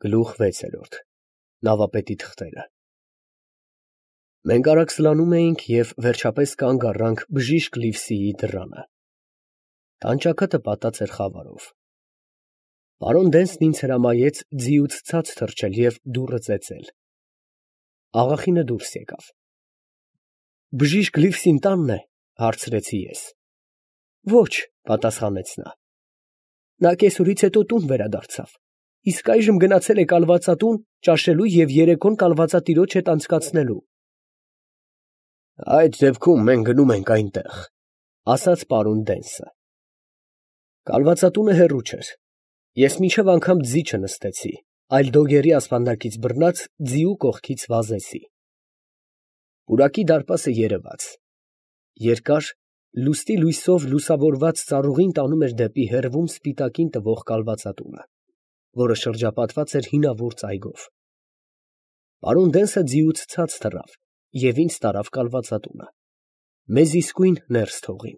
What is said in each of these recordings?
Գլուխ 6 Նավապետի թղթերը Մենք արագ սլանում էինք և վերջապես կանգ առանք բժիշկ Լիվսիի դռանը։ Տանճաքը պատած էր խավարով։ Պարոն Դենսն ինձ հրամայեց ձիուց ցած թռչել և դուռը ծեծել։ Աղախինը դուրս եկավ։ «Բժիշկ Լիվսին տանն է, ֊ հարցրեցի ես։ ֊ Ոչ, ֊ պատասխանեց նա. նա կեսօրից հետո տուն վերադարձավ, իսկ այժմ գնացել է կալվածատուն ճաշելու և երեկոն կալվածատիրոջ հետ անցկացնելու։ ֊ Այդ դեպքում մենք գնում ենք այնտեղ, ֊ ասաց պարոն Դենսը։ Կալվածատունը հեռու չէր։ Ես մինչև անգամ ձի չնստեցի, այլ դոգերի ասպանդակից բռնած ձիու կողքից վազեցի։ Պուրակի դարպասը երևաց։ Երկար, լուստի լույսով լուսավորված ծառուղին տանում էր դեպի հեռվում սպիտակին տվող կալվածատունը, որը շրջապատված էր հինավուրց այգով։ Պարոն Դենսը ձիուց ցած թռավ և ինձ տարավ կալվածատունը, մեզ իսկույն ներս թողին։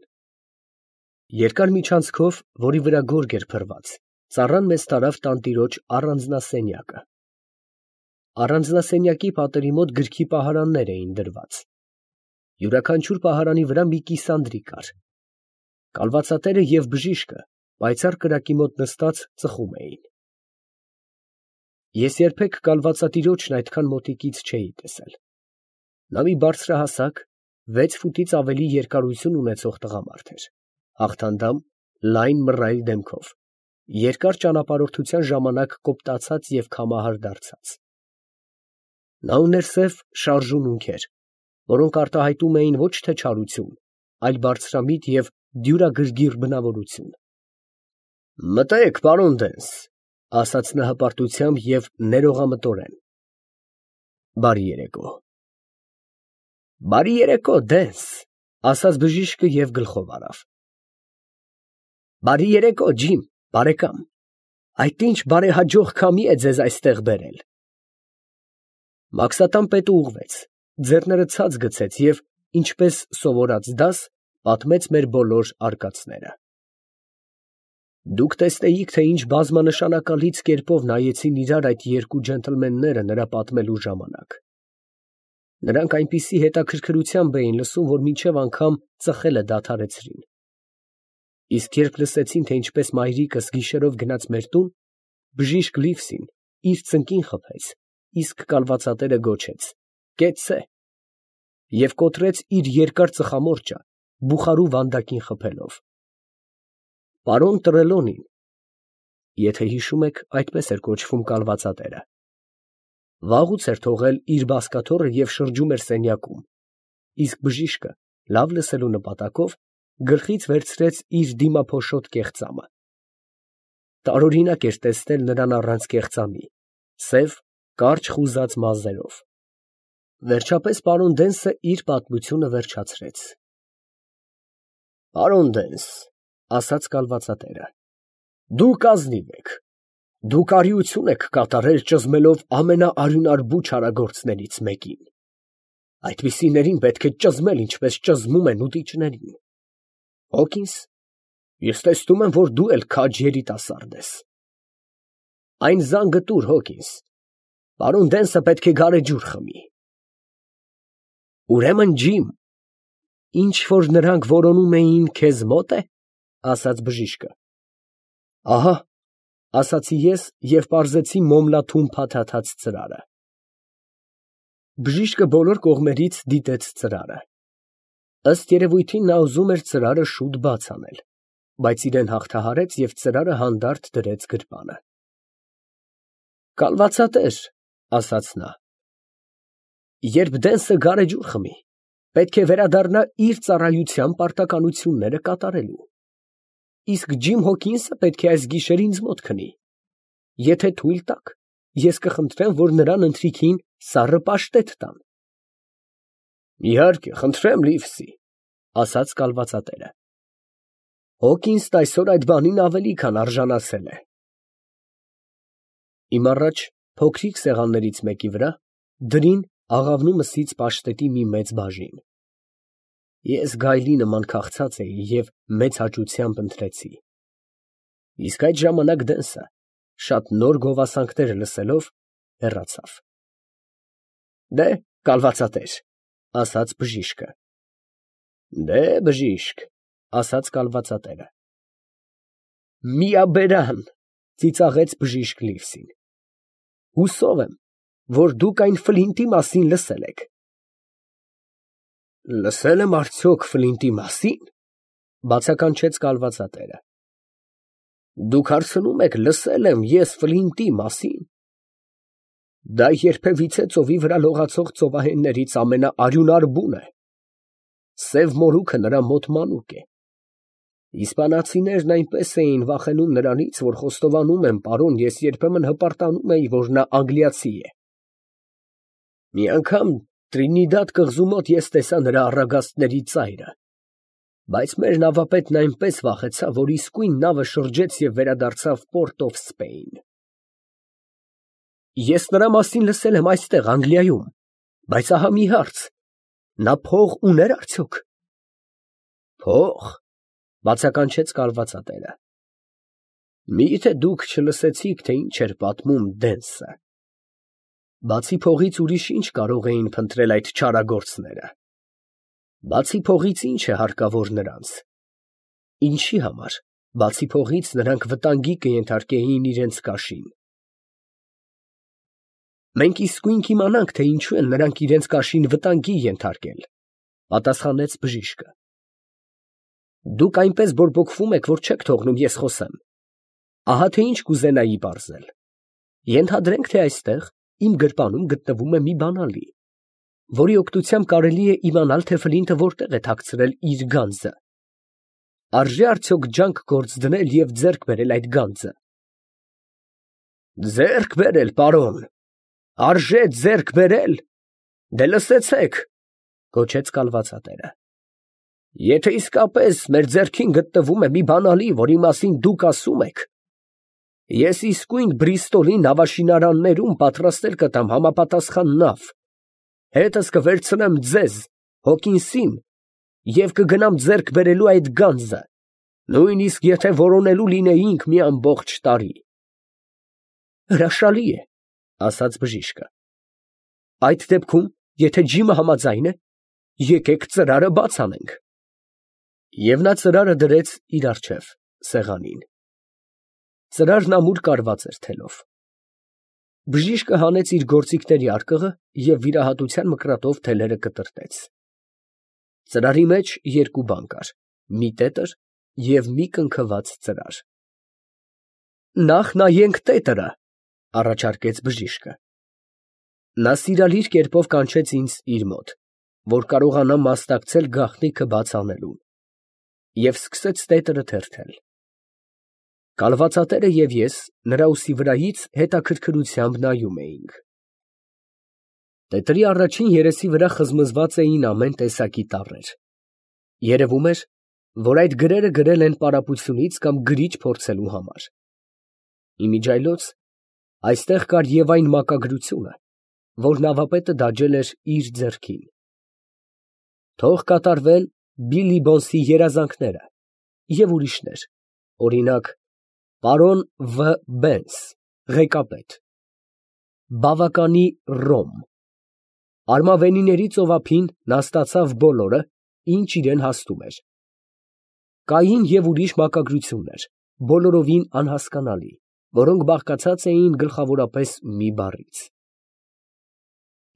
Երկար միջանցքով, որի վրա գորգ էր փռված, ծառան մեզ տարավ տանտիրոջ առանձնասենյակը։ Առանձնասենյակի պատերի մոտ գրքի պահարաններ էին դրված։ Յուրաքանչյուր պահարանի վրա մի կիսանդրի կար։ Կալվածատերը և բժիշկը պայծառ կրակի մոտ նստած ծխում էին։ Ես երբեք կալվածատիրոջն այդքան մոտիկից չէի տեսել։ Նա մի բարձրահասակ, 6 ֆուտից ավելի երկարություն ունեցող տղամարդ էր, հաղթանդամ, լայն մռայլ դեմքով, երկար ճանապարհորդության ժամանակ կոպտացած և քամահար դարձած։ Նա ուներ սև շարժուն ունքեր, որոնք արտահայտում էին ոչ թե չարություն, այլ բարձրամիտ և դյուրագրգիռ բնավորություն։ ֊ Մտե՛ք, պարոն Դենս, ֊ ասաց նա հպարտությամբ և ներողամտորեն։ ֊ Բարի երեկո։ ֊ Բարի երեկո, Դենս, ֊ ասաց բժիշկը և գլխով արավ։ ֊ Բարի երեկո, ջիմ, բարեկամ, այդ ինչ բարեհաջող քամի է ձեզ այստեղ բերել։ Մաքսատան պետը ուղղվեց, ձեռները ցած գցեց և, ինչպես սովորած դաս, պատմեց մեր բոլոր արկածները։ Դուք տեսնեիք, թե ինչ բազմանշանակալից կերպով նայեցին իրար այդ երկու ջենտլմենները նրա պատմելու ժամանակ։ Նրանք այնպիսի հետաքրքրությամբ էին լսում, որ մինչև անգամ ծխելը դադարեցրին։ Իսկ երբ լսեցին, թե ինչպես մայրիկս գիշերով գնաց մեր տուն, բժիշկ Լիվսին իր ծնկին խփեց, իսկ կալվածատերը գոչեց. «Կեցցե» և կոտրեց իր երկար ծխամորճը բուխարու վանդակին խփելով։ Պարոն Տրելոնին (եթե հիշում եք, այդպես էր կոչվում կալվածատերը) վաղուց էր թողել իր բազկաթոռը և շրջում էր սենյակում, իսկ բժիշկը, լավ լսելու նպատակով, գլխից վերցրեց իր դիմափոշոտ կեղծամը։ Տարօրինակ էր տեսնել նրան առանց կեղծամի, սև, կարճ խուզած մազերով։ Վերջապես պարոն Դենսը իր պատմությունը վերջացրեց։ Պարոն Դենս, ֊ ասաց կալվածատերը, ֊ դուք ազնիվ եք, դուք արիություն եք կատարել ճզմելով ամենաարյունարբու չարագործներից մեկին։ Այդպիսիներին պետք է ճզմել, ինչպես ճզմում են ուտիչներին։ Հոկինս, ես տեսնում եմ, որ դու էլ քաջ երիտասարդ ես։ Այն զանգը տուր, Հոկինս, պարոն Դենսը պետք է գարեջուր խմի։ Ուրեմն, ջիմ, ինչ որ նրանք որոնում էին, քեզ մոտ է, ֊ ասաց բժիշկը։ Ահա, ֊ ասացի ես և պարզեցի մոմլաթում փաթաթած ծրարը։ Բժիշկը բոլոր կողմերից դիտեց ծրարը։ Ըստ երևույթին նա ուզում էր ծրարը շուտ բաց անել, բայց իրեն հաղթահարեց և ծրարը հանդարտ դրեց գրպանը։ Կալվածատեր, ֊ ասաց նա, ֊ երբ Դենսը գարեջուր խմի, պետք է վերադառնա իր ծառայության պարտականությունները կատարելու, իսկ ջիմ Հոքինսը պետք է այս գիշեր ինձ մոտ քնի։ Եթե թույլ տաք, ես կխնդրեմ, որ նրան ընթրիքին սառը պաշտետ տան։ Իհարկե, խնդրեմ, Լիվսի, ֊ ասաց կալվածատերը։ Հոկինսն այսօր այդ բանին ավելի քան արժանացել է։ Իմ առաջ, փոքրիկ սեղաններից մեկի վրա, դրին աղավնու մսից պաշտետի մի մեծ բաժին։ Ես գայլի նման քաղցած էի և մեծ հաճությամբ ընթրեցի։ Իսկ այդ ժամանակ Դենսը շատ նոր գովասանքները լսելով, հեռացավ։ Դե, կալվածատեր, ասաց բժիշկը։ Դե, բժիշկ, ասաց կալվածատերը։ Միաբերան, ծիծաղեց բժիշկ Լիվսին։ Հուսով եմ, որ դուք այն Ֆլինտի մասին լսել եք։ Լսել եմ արդյոք Ֆլինտի մասին, բացականչեց կալվածատերը։ Դուք հարցնում եք, լսել եմ ես Ֆլինտի մասին։ Դա երբևիցե ծովի վրա լողացող ծովահեններից ամենաարյունար բուն է։ Սև մորուքը նրա մոտ մանուկ է։ Իսպանացիներն այնպես էին վախենում նրանից, որ խոստովանում եմ, պարոն, ես երբեմն հպարտանում էի, որ նա անգլիացի է։ Մի անգամ Տրինիդադ կղզու մոտ ես տեսա նրա առագաստների ծայրը, բայց մեր նավապետն այնպես վախեցավ, որ իսկույն նավը շրջեց և վերադարձավ Port of Spain։ Ես նրա մասին լսել եմ այստեղ, Անգլիայում, բայց ահա մի հարց. նա փող ուներ արդյոք։ Փող, բացականչեց կալվածատերը։ Մի՞թե դուք չլսեցիք, թե ինչ էր պատմում Դենսը։ Բացի փողից ուրիշ ինչ կարող էին փնտրել այդ չարագործները։ Բացի փողից ինչ է հարկավոր նրանց։ Ինչի համար, բացի փողից, նրանք վտանգի կենթարկեին իրենց կաշին։ Մենք իսկույն կիմանանք, թե ինչու են նրանք իրենց կաշին վտանգի ենթարկել, պատասխանեց բժիշկը։ Դուք այնպես բորբոքվում եք, որ չեք թողնում ես խոսեմ։ Ահա թե ինչ կուզենայի պարզել։ Ենթադրենք, թե այստեղ իմ գրպանում գտնվում է մի բանալի, որի օգնությամբ կարելի է իմանալ, թե Ֆլինտը որտեղ է թաքցրել իր գանձը։ Արժե արդյոք ջանք գործ դնել և ձեռք բերել այդ գանձը։ Ձեռք բերել, պարոն, արժե ձեռք բերել։ Դե լսեցեք, գոչեց կալվածատերը։ Եթե իսկապես մեր ձեռքին գտնվում է մի բանալի, որի մասին դուք ասում եք, ես իսկույն Բրիստոլի նավաշինարաններում պատրաստել կտամ համապատասխան նավ, հետս կվերցնեմ ձեզ, Հոկինսին, և կգնամ ձեռք բերելու այդ գանձը, նույնիսկ եթե որոնելու լինեինք մի ամբողջ տարի։ Հրաշալի է, ասաց բժիշկը։ Այդ դեպքում, եթե ջիմը համաձայն է, եկեք ծրարը բաց անենք։ Եվ նա ծրարը դրեց իր առջև, սեղանին։ Ծրարն ամուր կարված էր թելով։ Բժիշկը հանեց իր գործիքների արկղը և վիրահատության մկրատով թելերը կտրտեց։ Ծրարի մեջ երկու բան կար, մի տետր և մի կնքված ծրար։ Նախ նայենք տետրը, առաջարկեց բժիշկը։ Նա սիրալիր կերպով կանչեց ինձ իր մոտ, որ կարողանամ մասնակցել գաղտնիքը բաց անելուն, և սկսեց տետրը թերթել։ Կալվածատերը և ես նրա ուսի վրայից հետաքրքրությամբ նայում էինք։ Տետրի առաջին երեսի վրա խզմզված էին ամեն տեսակի տառեր։ Երևում էր, որ այդ գրերը գրել են պարապությունից կամ գրիչ փորձելու համար։ Իմիջիայլոց այստեղ կար և այն մակագրությունը, որ նավապետը դաջել էր իր ձեռքին։ Թող կատարվեն Բիլիբոնսի երազանքները և ուրիշներ, օրինակ, պարոն Վ. Բենս, ղեկապետ, բավականի Ռոմ։ Արմավենիների ծովափին նա ստացավ բոլորը, ինչ իրեն հասնում էր։ Կային և ուրիշ մակագրություններ, բոլորովին անհասկանալի, որոնք բաղկացած էին գլխավորապես մի բառից։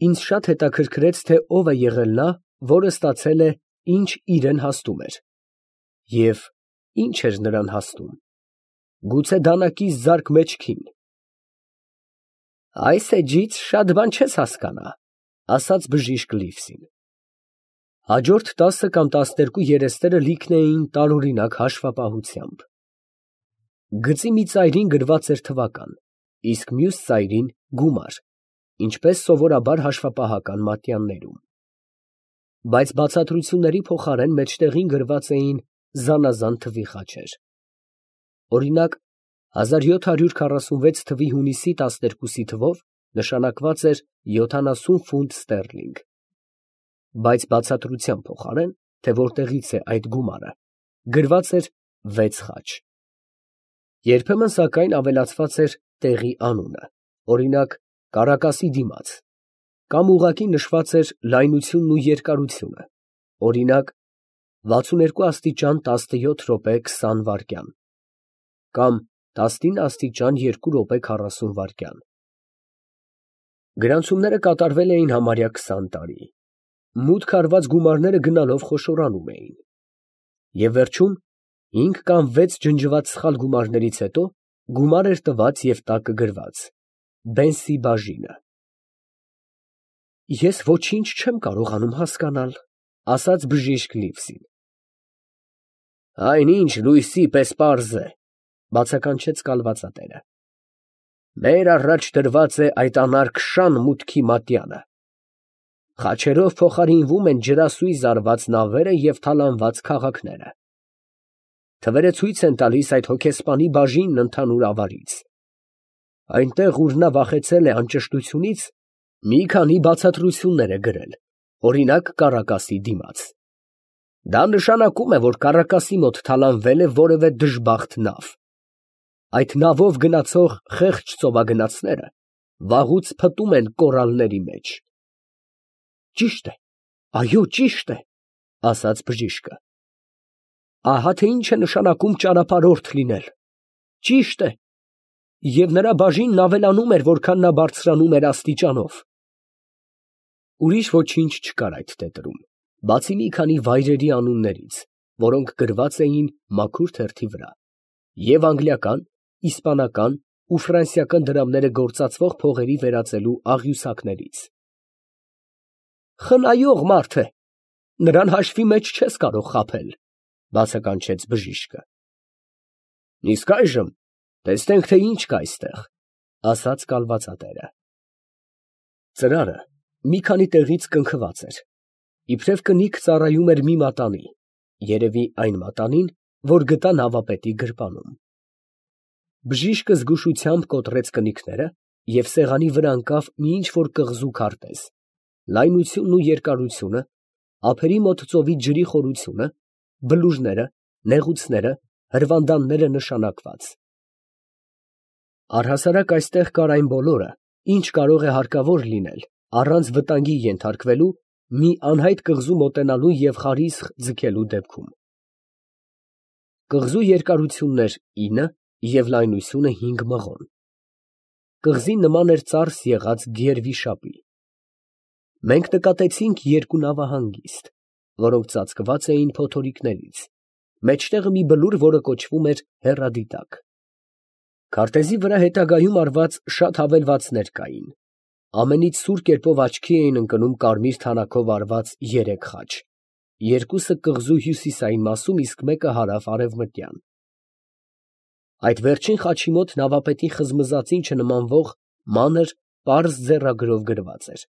Ինձ շատ հետաքրքրեց, թե ով է եղել նա, որը ստացել է, ինչ իրեն հասնում էր, և ինչ էր նրան հասնում, գուցե դանակի զարկ մեջքին։ Այս էջից շատ բան չես հասկանա, ասաց բժիշկ Լիվսին։ Հաջորդ 10 կամ 12 երեսները լիքն էին տարօրինակ հաշվապահությամբ։ Գծի մի ծայրին գրված էր թվական, իսկ մյուս ծայրին գումար, ինչպես սովորաբար հաշվապահական մատյաններում։ Բայց բացատրությունների փոխարեն մեջտեղին գրված էին զանազան թվի խաչեր։ Օրինակ, 1746 թվի հունիսի 12-ի թվով նշանակված էր 70 ֆունտ ստերլինգ, բայց բացատրության փոխարեն, թե որտեղից է այդ գումարը, գրված էր 6 խաչ։ Երբեմն, սակայն, ավելացված էր տեղի անունը, օրինակ Կարակասի դիմաց, կամ ուղղակի նշված էր լայնությունն ու երկարությունը, օրինակ 62 աստիճան 17 րոպե 20 վայրկյան, կամ 19 աստիճան 2 րոպե 40 վայրկյան։ Գրանցումները կատարվել էին համարյա 20 տարի։ Մուտք արված գումարները գնալով խոշորանում էին։ Եվ վերջում 5 կամ 6 ջնջված սխալ գումարներից հետո գումար էր տված և տակը գրված. Բենսի բաժինը։ Ես ոչինչ չեմ կարողանում հասկանալ, ասաց բժիշկ Լիվսին։ Այնինչ լույսի պես պարզ է, բացականչեց կալվածատերը։ Մեր առաջ դրված է այդ անարգշան մուտքի մատյանը։ Խաչերով փոխարինվում են ջրասույզ արված նավերը և թալանված քաղաքները։ Թվերը ցույց են տալիս այդ հոգեսպանի բաժինն ընդհանուր ավարից։ Այնտեղ, ուր նա վախեցել է անճշտությունից, մի քանի բացատրություններ է գրել, օրինակ Կարակասի դիմաց։ Դա նշանակում է, որ Կարակասի մոտ թալանվել է որևէ դժբախտ նավ։ Այդ նավով գնացող խեղճ ծովագնացները վաղուց փտում են կորալների մեջ։ Ճիշտ է, այո, ճիշտ է, ասաց բժիշկը։ Ահա թե ինչ է նշանակում ճանապարհորդ լինել։ Ճիշտ է։ Եվ նրա բաժինն ավելանում էր, որքան նա բարձրանում էր աստիճանով։ Ուրիշ ոչինչ չկար այդ տետրում, բացի մի քանի վայրերի անուններից, որոնք գրված էին մաքուր թերթի վրա, և անգլիական, իսպանական ու ֆրանսիական դրամները գործածվող փողերի վերածելու աղյուսակներից։ Խնայող մարդ է, նրան հաշվի մեջ չես կարող խաբել, բացականչեց բժիշկը։ Իսկ այժմ տեսնենք, թե ինչ կա այստեղ, ասաց կալվածատերը։ Ծրարը մի քանի տեղից կնքված էր, իբրև կնիկ ծառայում էր մի մատանի, երևի այն մատանին, որ գտա նավապետի գրպանում։ Բժիշկը զգուշությամբ կոտրեց կնիկները և սեղանի վրա ընկավ մի ինչ-որ կղզու քարտեզ, լայնությունն ու երկարությունը, ափերի մոտ ծովի ջրի խորությունը, բլուրները, նեղուցները, հրվանդանները նշանակված։ Առհասարակ այստեղ կար այն բոլորը, ինչ կարող է հարկավոր լինել առանց վտանգի ենթարկվելու մի անհայտ կղզու մոտենալու և խարիսխ ձգելու դեպքում։ Կղզու երկարությունն էր 9 և լայնությունը 5 մղոն։ Կղզին նման էր ծարս եղած գերվիշապի։ Մենք նկատեցինք երկու նավահանգիստ, որոնք ծածկված էին փոթորիկներից, մեջտեղը մի բլուր, որը կոչվում էր Հեռադիտակ։ Քարտեզի վրա հետագայում արված շատ հավելվածներ կային։ Ամենից սուր կերպով աչքի էին ընկնում կարմիր թանաքով արված 3 խաչ, երկուսը կղզու հյուսիսային մասում, իսկ մեկը հարավ֊արևմտյան։ Այդ վերջին խաչի մոտ նավապետի խզմզածին չնմանվող մանր, պարզ ձեռագրով գրված էր.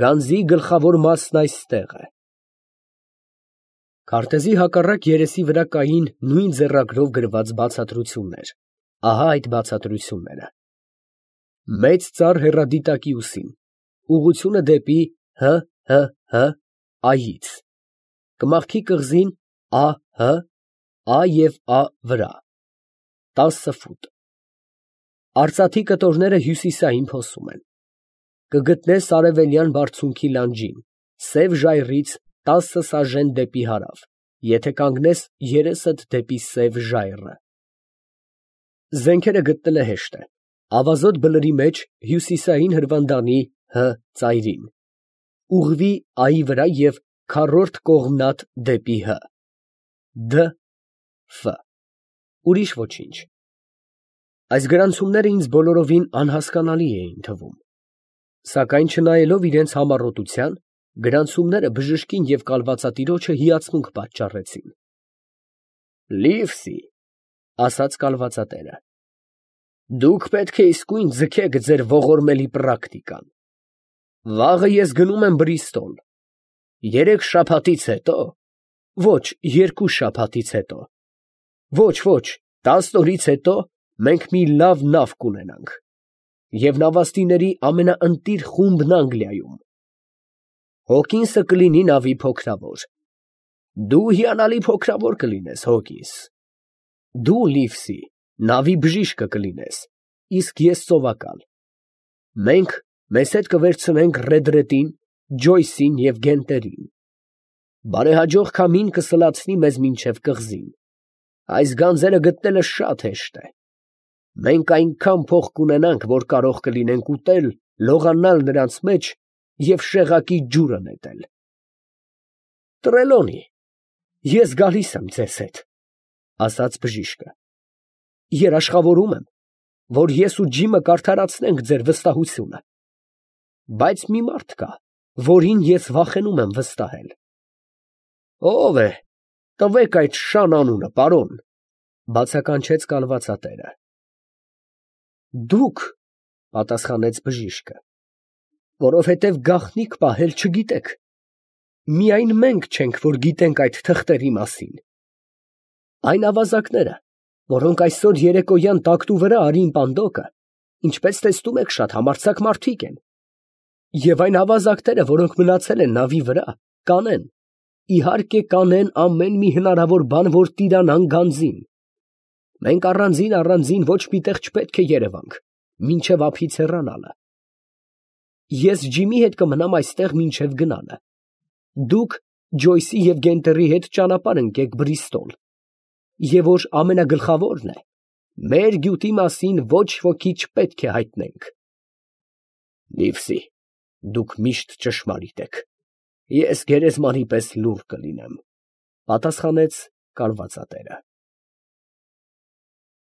Գանձի գլխավոր մասն այստեղ է։ Քարտեզի հակառակ երեսի վրա կային նույն ձեռագրով գրված բացատրություններ։ Ահա այդ բացատրությունները. Մեծ ծառ Հեռադիտակի ուսին, ուղղությունը դեպի ՀՀՀ այից, կմախքի կղզին ԱՀ, Ա և Ա վրա, 10 ֆուտ։ Արծաթի կտորները հյուսիսային փոսում են։ Կգտնես արևելյան բարձունքի լանջին, սև ժայռից 10 սաժեն դեպի հարավ, եթե կանգնես երեսդ դեպի սև ժայռը։ Զենքերը գտնելը հեշտ է։ Ավազոտ բլրի մեջ հյուսիսային հրվանդանի Հ ծայրին, ուղղվի Այի վրա և քառորդ կողմնատ դեպի Հ, Դ, Ֆ, ուրիշ ոչինչ։ Այս գրանցումները ինձ բոլորովին անհասկանալի էին թվում, սակայն չնայելով իրենց համառոտության, գրանցումները բժշկին և կալվածատիրոջը հիացմունք պատճառեցին։ Լիվսի, ասաց կալվածատերը, դուք պետք է իսկույն ձգեք ձեր ողորմելի պրակտիկան։ Վաղը ես գնում եմ Բրիստոլ։ 3 շաբաթից հետո, ոչ 2 շաբաթից հետո, ոչ 10 օրից հետո մենք մի լավ նավ կունենանք և նավաստիների ամենաընտիր խումբն Անգլիայում։ Հոկինսը կլինի նավի փոքրավոր։ Դու հիանալի փոքրավոր կլինես, Հոկինս։ Դու, Լիվսի, նավի բժիշկը կլինես, իսկ ես սովակալ։ Մենք մեզ հետ կվերցնենք Ռեդրետին, Ջոյսին և Գենտերին։ Բարեհաջող քամին կսլացնի մեզ մինչև կղզին։ Այս գանձերը գտնելը շատ հեշտ է։ Մենք այնքան փող կունենանք, որ կարող կլինենք ուտել, լողանալ նրանց մեջ և շեղակի ջուրը նետել։ Տրելոնի, ես գալիս եմ ձեզ հետ, ֊ ասաց բժիշկը։ Երաշխավորում եմ, որ ես ու Ջիմը կարդարացնենք ձեր վստահությունը։ Բայց մի մարդ կա, որին ես վախենում եմ վստահել։ Ո՞վ է, տվեք այդ շան անունը, պարոն, ֊ բացականչեց կալվածատերը։ Դուք, ֊ պատասխանեց բժիշկը, որովհետև գաղտնիք պահել չգիտեք։ Միայն մենք չենք, որ գիտենք այդ թղթերի մասին։ Այն ավազակները, որոնք այսօր երեկոյան տակտու վրա արին պանդոկը, ինչպես տեսնում եք, շատ համարձակ մարդիկ են։ Եվ այն ավազակները, որոնք մնացել են նավի վրա, կանեն, իհարկե կանեն ամեն մի հնարավոր բան, որ տիրանան գանձին։ Մենք առանձին ոչ մի տեղ չպետք է երևանք, մինչև ափից հեռանալը։ Ես Ջիմի հետ կմնամ այստեղ մինչև գնալը։ Դուք Ջոյսի և Գենտերի հետ ճանապարհ ընկեք Բրիստոլ, և որ ամենագլխավորն է, մեր գյուտի մասին ոչ ոքի չպետք է հայտնենք։ Լիվսի, դուք միշտ ճշմարիտ եք, ես գերեզմանի պես լուռ կլինեմ, ֊ պատասխանեց կալվածատերը։